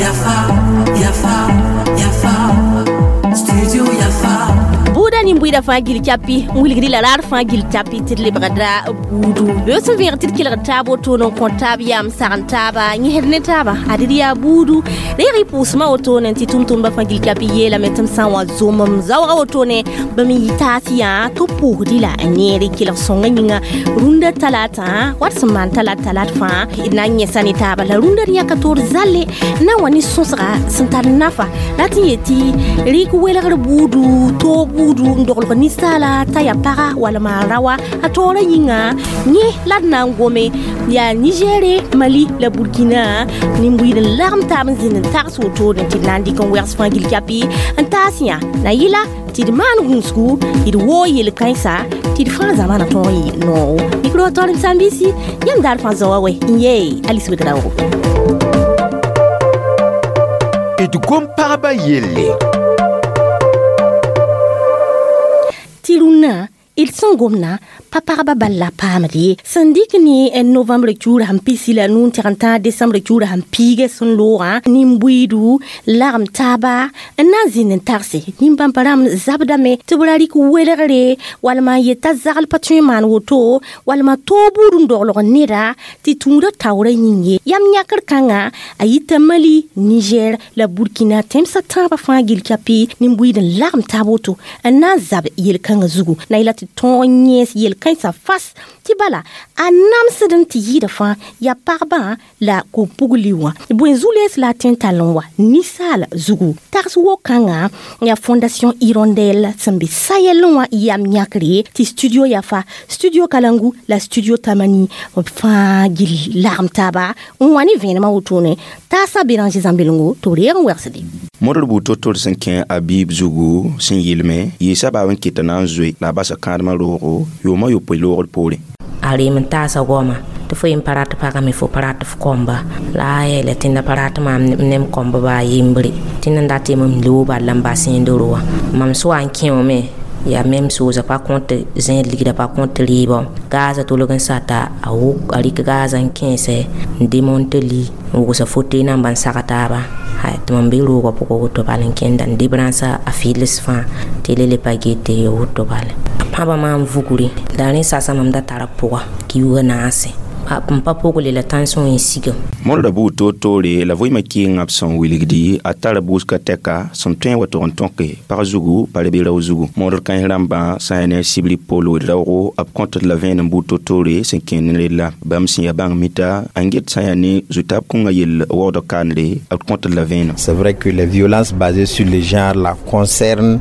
Yafa, Yafa, Yafa, Studio Yafa. Buuda nin-buiidã fãa gil capi n wilgd la raar fãa gil capi tɩ d lebgda buudu beo sẽn vẽeg tɩ d kelgd taab wotone n kõ taab yam sagn taaba yẽsd ne taaba ad d yaa buudu reeg y pʋʋsmã wotone tɩ tʋm-tʋmdbã fãa gil capi yeelame tɩ m sã n wa zomem zaoogã wotone bãmb n yɩ taas yã tɩ b pʋʋsd la a neere kelg sõngã yĩnga rũndã talata wat sẽn maan talat talat fãa d na n yẽsa ne taaba la rũndã d yãka toor zalle n na n wa ne sõsga sẽn tar nafa la tɩ n yetɩ rɩk welgr buudu toog buudu n doglg ninsaala t'a yaa paga walma a raoã a taoorã yĩnga yẽ la d na n gome yaa nigɛre mali la burkina nin-buiid n lagem taab n zĩnd n tags wotone tɩ d na n dɩk n wɛgs fãa gil capi n taas yã na yɩla tɩ d maan gũusgu tɩ d woog yel-kãensa tɩ d fãa zamana tõog n yɩ noogo mikro torem sãn-biisi yãmb daar fãa zaoã wɛ n yee Alice Ouédraogo. D gom-pagba yelle. Tɩ rũnnã d sẽn gomna pa pagba bal la paamd ye sẽn dɩk ne novembre kiuur sẽn pisi la nuu n tɩg n tãag desembre kiuur sẽn piiga sẽn loogã nin-buiidu lagem taaba n na n zĩnd n tagse nin-bãmba rãmb zabdame tɩ b ra rɩk welgre walma n yet t'a zagl pa tõe n maan woto walma toog buud n doglg neda tɩ tũudã taoorã yĩng ye yam yãkr kãnga a yita Mali, Niger la Burkina tẽmsã tãabã fãa gil capi nin-buiid n lagem taab woto n na n zab yel-kãngã zugu na yela tɩ tõog n yẽes yel-kãensã fas tɩ bala a namsd n tɩ yɩɩda fãa yaa pagbã la kom-pugli wã bõe zu-lees la a tõe n tall n wa ninsaal zugu tags wok-kãngã yaa Fondation Hirondelle sẽn be Sayɛl wã yam yãkre tɩ studio Yafa, Studio Kalangu la Studio Tamani b fãa gil lagem taaba n wa ne vẽenemã wotone taasã Béranger Zãmbelgo tɩ b reeg n wɛgsde. Modr buud to-tore sẽn kẽ a biib zugu sẽn yɩlme yɩɩ sabaab n kɩta na n zoe la a basa kãadmã roogo yʋʋmã yopoe loogd poorẽ. A reem n taasa goama tɩ fo yen pa rat pagame fo pa rat f kɔmba la a yeela tẽnda pa rat maam ne m kɔmba baa yembre tẽnd n dat yem m loog bal la n bas yẽnd roa mam soa n kẽ wame yaa mem soosa pa kõt zẽed ligda pa kõt rɩɩbã gaazã tolg n sata a wʋk a rɩk gaazã n kẽesɛ n demonte li n wʋgsa fote namba n sag taaba tɩ mam be roogã pʋgã woto bal n kẽnda n debrãnsã a fɩls fãa tɩ le le pa get tɩ woto bala pãbã maam vugre la rẽ sasa mam da tara pʋga kiuugã naase n pa pogle la tãnsõ n sigam. Modra buud toor-toore la vɩɩmã kɩɩngã b sẽn wilgdi a tara buusga tɛka sẽn tõe n wa tʋg n tõke pag zugu pa rebe rao zugu modr kãens rãmbã sã n yaa ne a sibri Pol Ouédraogo b kõtd la vẽenem buud to-toore sẽn kẽer ne rella bãmb sẽn yaa bãng mita n get sã n yaa ne zu-taab kõnga yell waoodg kaanre b kõtd la vẽenem. C'est vrai que les violences basées sur le genre là concernent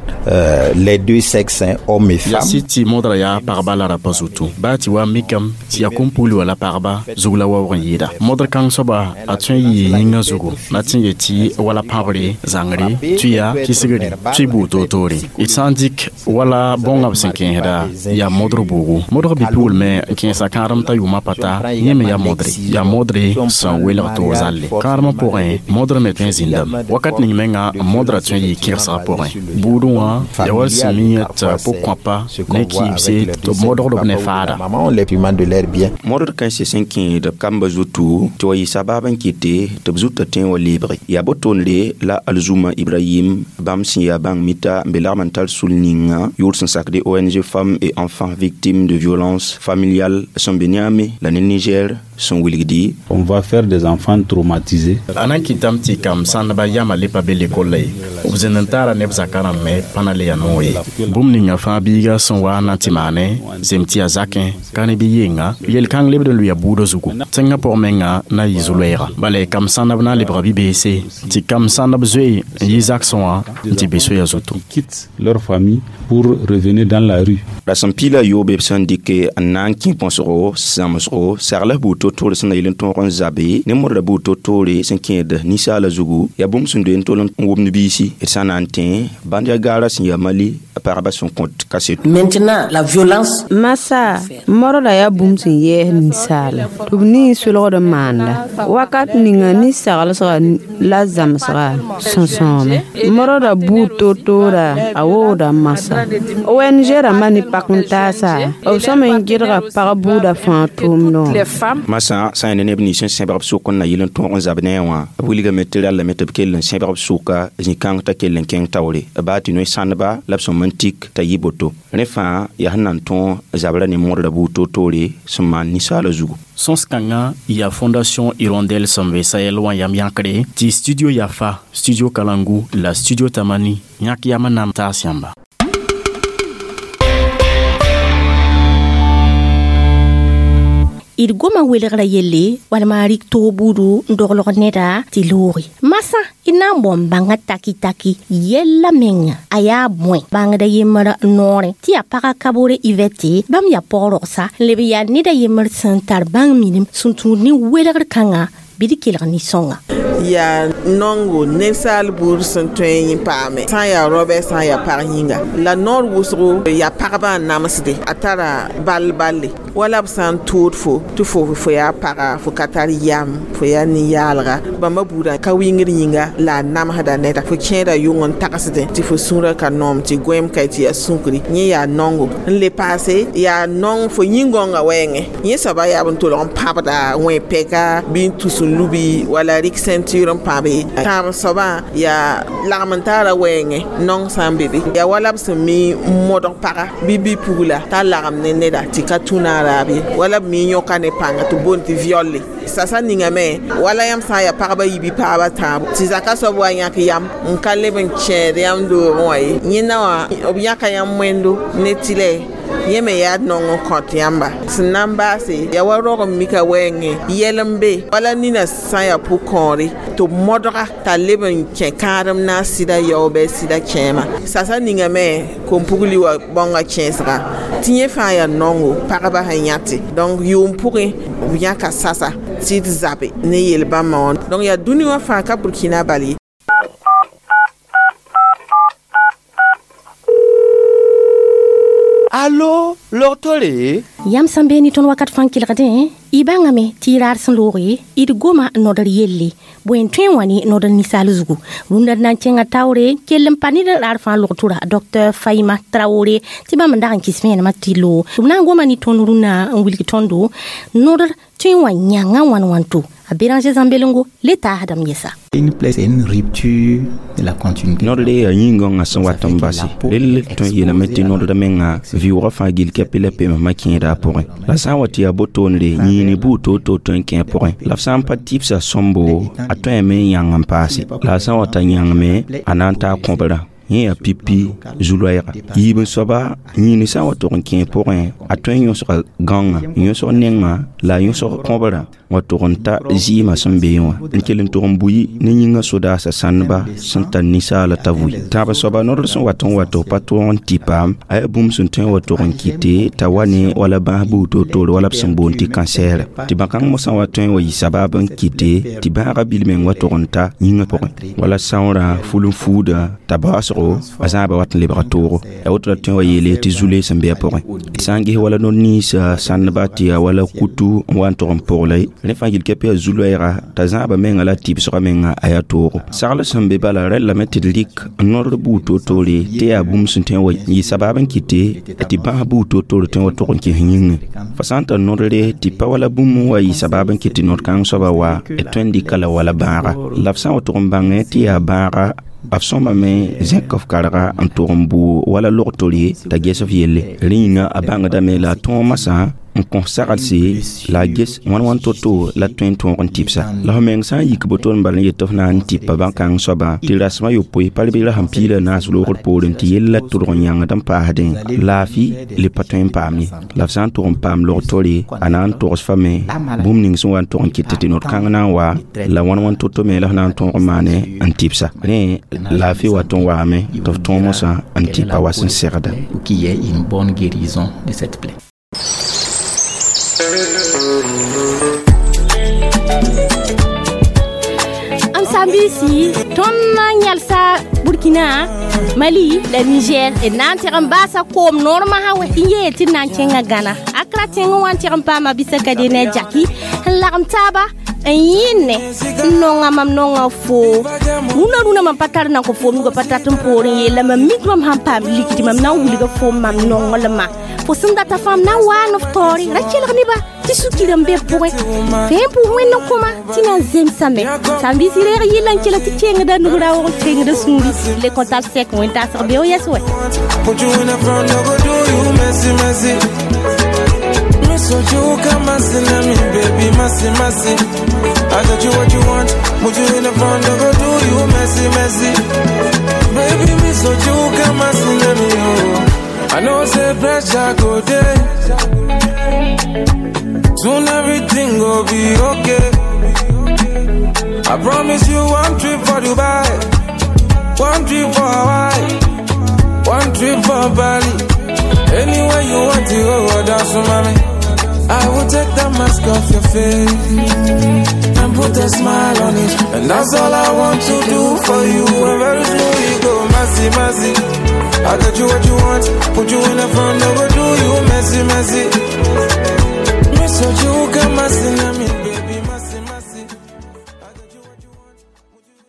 les deux sexes, hein, hommes et Yaa femmes. sɩd tɩ modra yaa pagba la rapa zutu baa tɩ wa mikame tɩ yaa kom-pugli wala pagba zug la waoog n yɩɩda modr kãng soaba a tõe n yɩɩ yĩngã zugu na tɩ n yetɩ wala pãbre zãngre tʋya kisgre tʋy buud toor-toore d sã n dɩk wala bõngã b sẽn kẽesda yaa modr bʋʋgo modg bi-pugl me n kẽesa kãadem t'a yʋʋmã pa ta yẽ me yaa modre yaa modre sẽn welg toor zalle kãadmã pʋgẽ modr me tõe n zĩndame wakat ning menga modrã tõe n yɩɩ kẽgsgã pʋgẽ buudẽ wã yaa wall sẽn mi tɩ pʋg-kõapa ne kɩɩbse tɩ b modgd b ne faada. Maman, les paiements de l'air bien. Modr kãense sẽn kẽed b kamba zutu tɩ wa yɩ sabaab n kɩte tɩ b zutã tõe n wa leebge yaa botoonre la Alzuma Ibrahim bãmb sẽn yaa bãng mita n be lagm n tar sul ninga yʋʋr sẽn sakde ONG Femmes et Enfants Victimes de Violences Familiales sẽn be Niamey la ne Niger sẽn wilgdi. On va faire des enfants traumatisés. A na n kɩtame tɩ kam sãndba yama le pa be lekolla ye b zĩnd n taara neb zakã rãmb me pa na le yaa noog ye bũmb ninga fãa biiga sẽn wa n na n tɩ maane zem tɩ yaa zakẽ ka ne bɩ yenga yel-kãng lebd n lʋɩa buudã zugu tẽngã pʋg menga na yɩ zu-loɛɛga bala kam sãndb na n lebga bi-beese tɩ kam sãndb zoe n yɩ zagsẽ wã n tɩ be soya zutu. Quittent leur famille pour revenir dans la rue. Rasem piila yoobe b sẽn dɩke n na n kẽ põsgo zãmsgo sagl buud to-toore sẽn na yɩl n tõog n zabe ne modra buud to-toore sẽn kẽed ninsaala zugu yaa bũmb sẽn doe n tol n wʋmd biisi d sã na n tẽ bãnd yaa gaara sẽn yaa Mali pagba sẽn kõt kaseto. Maintenant, la violence. Masa, modra yaa bũmb sẽn yɛɛs ninsaal. ninsaala tɩ b nii solgd n maanda wakat ninga nin-saglsga la zãmsga sõsõome modda buud toor-toora a woogda n masa ONG rãmbã ne pak n taasa b sõm n gɩdga pag buudã fãa tʋʋmdẽ wã. Masã sã n yaa ne neb nins sẽn sẽbg b sʋk n na yɩl n tõog n zab ne a wã, b wilgame tɩ rallame tɩ b kell n sẽbg b sʋka zĩ-kãng t'a kell n kẽng taoore, baa tɩ noe-sãndba la b sõm n tik t'a yɩ boto. Rẽ fãa yaa sẽn na n tõog zabra ne modrã buud toor-toore sẽn maan ninsaala zugu. Sõs-kãngã yaa Fondation Hirondelle sẽn be Sahel wã yam yãkre tɩ Studio Yafa, Studio Kalangu la Studio Tamani yãk yam n na n taas yãmba. D goma welgra yelle walma rik toog buudu n doglg neda tɩ looge masã d na n bao n bãnga taki-taki yella menga a yaa bõe bãngda yembr noorẽ tɩ yaa paga Kabore Ivɛte bãmb yaa pɔg-rogsa n leb n yaa neda yembr sẽn tar bãng minim sẽn tũud ne welgr kãnga bɩ d kelg nin-sõnga. Yaa nongo ninsaal buud sẽn tõe n paame sã n yaa raobɛ sã n yaa pag yĩnga la noor wʋsgo yaa pagba n namsde a tara bal balle wala b sã n tood fo tɩ fo yaa paga fo ka tar yam fo yaa nin-yaalga bãmba buudã ka wingd yĩnga la a namsda neda fo kẽeda yʋng n tagsdẽ tɩ fo sũurã ka noom tɩ goẽem ka tɩ yaa sũkri yẽ yaa nongo n le paase yaa nong fo yĩn-gõngã wɛɛngẽ yẽ soaba yaa b n tolg n pãbda wẽ-pɛka bɩ n tus n lubi wala rɩk ceinture n pãbe tãab soabã yaa lagm n taara wɛɛngẽ nong sã n be be yaa wala b sẽn mi n modg paga bɩ bi-pugla t'a lagem ne neda tɩ ka tũ naaraab ye wala b mi yõka ne pãnga tɩ boond tɩ violle sasa ningame wala yãmb sã n yaa pagba yibi paaba tãabo tɩ zaka soab wa yãk yam n ka leb n kẽed yãmb doogẽ wã ye yẽnda wã b yãka yãmb wẽndo ne tɩlɛ yẽ me yaa nong n kõt yãmba sẽn na n baase yaa wa rog n mika wɛɛngẽ yɛl n be wala nina sã n yaa pʋ-kõore tɩ b modga t'a leb n kẽ kãadem na n sɩda yaoobɛ sɩda kẽema sasa ningame kom-pugli wa bãonga kẽesga tɩ yẽ fãa yaa nongo pagba sẽn yãte donc yʋʋm pʋgẽ b yãka sasa tɩ d zabe ne yel-bãmbã wã donc yaa dũni wã fãa ka Burkina bal ye. Allo, log-tore? Yãmb sẽn be ne tõnd wakat fãa n kelgdẽ, y bãngame tɩ y raad sẽn looge d goma nodr yelle bõe n tõe n wa ne nodr ninsaal zugu rũndã d na n kẽnga taoore kell n pa ned raad fãa log-tʋra Dr Faima Traore tɩ bãmb n dag n kɩs vẽenemã tɩ loog b na n goma ne tõnd rũnnã n wilg tõndo nodr tõe n wa yãnga wãn wãnto a Béranger Zãmbelengo le taasdame yɛsa. Une plaie, c'est une rupture de la continuité. Nodre yaa yĩn-gãongã sẽn wat n base rell tõe n yeelame tɩ nodrã menga vɩʋʋgã fãa gill kɛpɩ la pemsmã kẽeda a pʋgẽ la sã n wa tɩ yaa botoonre yĩini buud toor-toor tõe n kẽ a pʋgẽ la f sã n pa tɩbsa sõmbo a tõeme n yãng n paase la a sã n wa t'a yãngme a na n taa kõbrã yẽ yaa pipi zu-loɛɛga yiib n soaba yĩini sã n wa tog n kẽ pʋgẽ a tõe n yõsga gãongã n yõsg nengã la a yõsg kõbrã wa tog n ta zɩɩmã sẽn beẽ wã n kell n tog n bui ne yĩngã sodaasã sãndba sẽn tar ninsaala t'a vʋɩ tãab soaba nodr sẽn wat n wa tɩ f pa tõog n tɩ paam a yaa bũmb sẽn tõe n wa tog n kɩte t'a wa ne wala bãas buud toor-toore wala b sẽn boond tɩ kansɛɛra tɩ bãn-kãng mosã wa tõe n wa yɩ sabab n kɩte tɩ bãagã bil meng wa tog n ta yĩngã pʋgẽ wala sãoorã ful n fuuda t'a baoosgo a zãaba wat n lebga toogo ya woto la tõe n wa yeele tɩ zu-le sẽn be a pʋgẽ sã n ges wala no-ninsã sãndba tɩ yaa wala kutu n wa n tog n pʋgla rẽ fãa gil kɛpɩ yaa zu-loɛɛga t'a zãaba menga la tɩbsgã menga a yaa toogo sagl sẽn be bala rɛllame tɩ d rɩk nodr buud toor-toore tɩ yaa bũmb sẽn tõe n wa yɩ sabab n kɩte tɩ bãs buud toor-toore tõe n wa tog n kẽs yĩngẽ fa sã n tar nodre tɩ pa wala bũmb n wa yɩ sabab n kɩt tɩ nod-kãng soaba wa d tõe n dɩka la wala bãaga la f sã n wa tog n bãngẽ tɩ yaa bãaga b sõmame zẽk f karga n tog n bʋ wala log-tore t'a ges f yelle rẽ yĩnga a bãngdame la a tõog masã n kõ saglse la a ges wãn wãn to-to la tõe n tõog n tɩbsa la f meng sã n yik boto n bal n yet tɩ f na n tɩpa bãn-kãng soabã tɩ rasmã yopoe pa b ra sẽn piila naas loogr poorẽ tɩ yella tʋrg n yãngd n paasdẽ laafɩ le pa tõe n paam ye la f sã n tʋg n paam log-tore a na n togs fame bũmb ning sẽn wa n tʋg n kɩt tɩ nod-kãng na n wa la wãn wãn to-to me la f na n tõog n maane n tɩbsa rẽ laafɩ wat n waame tɩ f tõog mosã n tɩpa wa sẽn segda. Pour qu'il y ait une bonne guérison de cette plaie. Am Sambisi tõnd na n yalsa Burkina, Mali la Niger, d na n tɩg n baasa koom noor masã wɛ n yeel tɩ d na n kẽnga Gana, Akra tẽngẽ wã, n tɩg n paama bisaka de ne a Jaki n lagem taaba n yẽnne n nonga mam nonga fo rũnã. Rũnã mam pa tar nan kõ foom nuga pa tat n poor n yeel la mam mik mam sãn paam ligdi, mam na n wilga foom mam nonglmã. Fo sẽn data fãa m na n waa ne f taoore ra kelg neba tɩ sukirã n be pʋgẽ fẽen pʋʋs Wẽnd n kõma tɩ na n zemsame. Sãn-biisi reeg yɩlla n kela tɩ kengda nug raoog, kengda sũuri le kõtab sɛk wẽn tasg beo yɛs wɛ. Put you in the front, no go do you messy, messy. Me so you come messy, me baby, messy, messy. I got you what you want. Put you in the front, no go do you messy, messy. Baby, me so you come messy, me oh. I know say pressure go there. Soon everything go be okay. I promise you one trip for Dubai, one trip for Hawaii, one trip for Bali. Anywhere you want to go, dance with mommy. I will take the mask off your face and put a smile on it. And that's all I want to do for you. And very soon we go messy, messy. I got you what you want, put you in the front, no go do you messy, messy. Me so you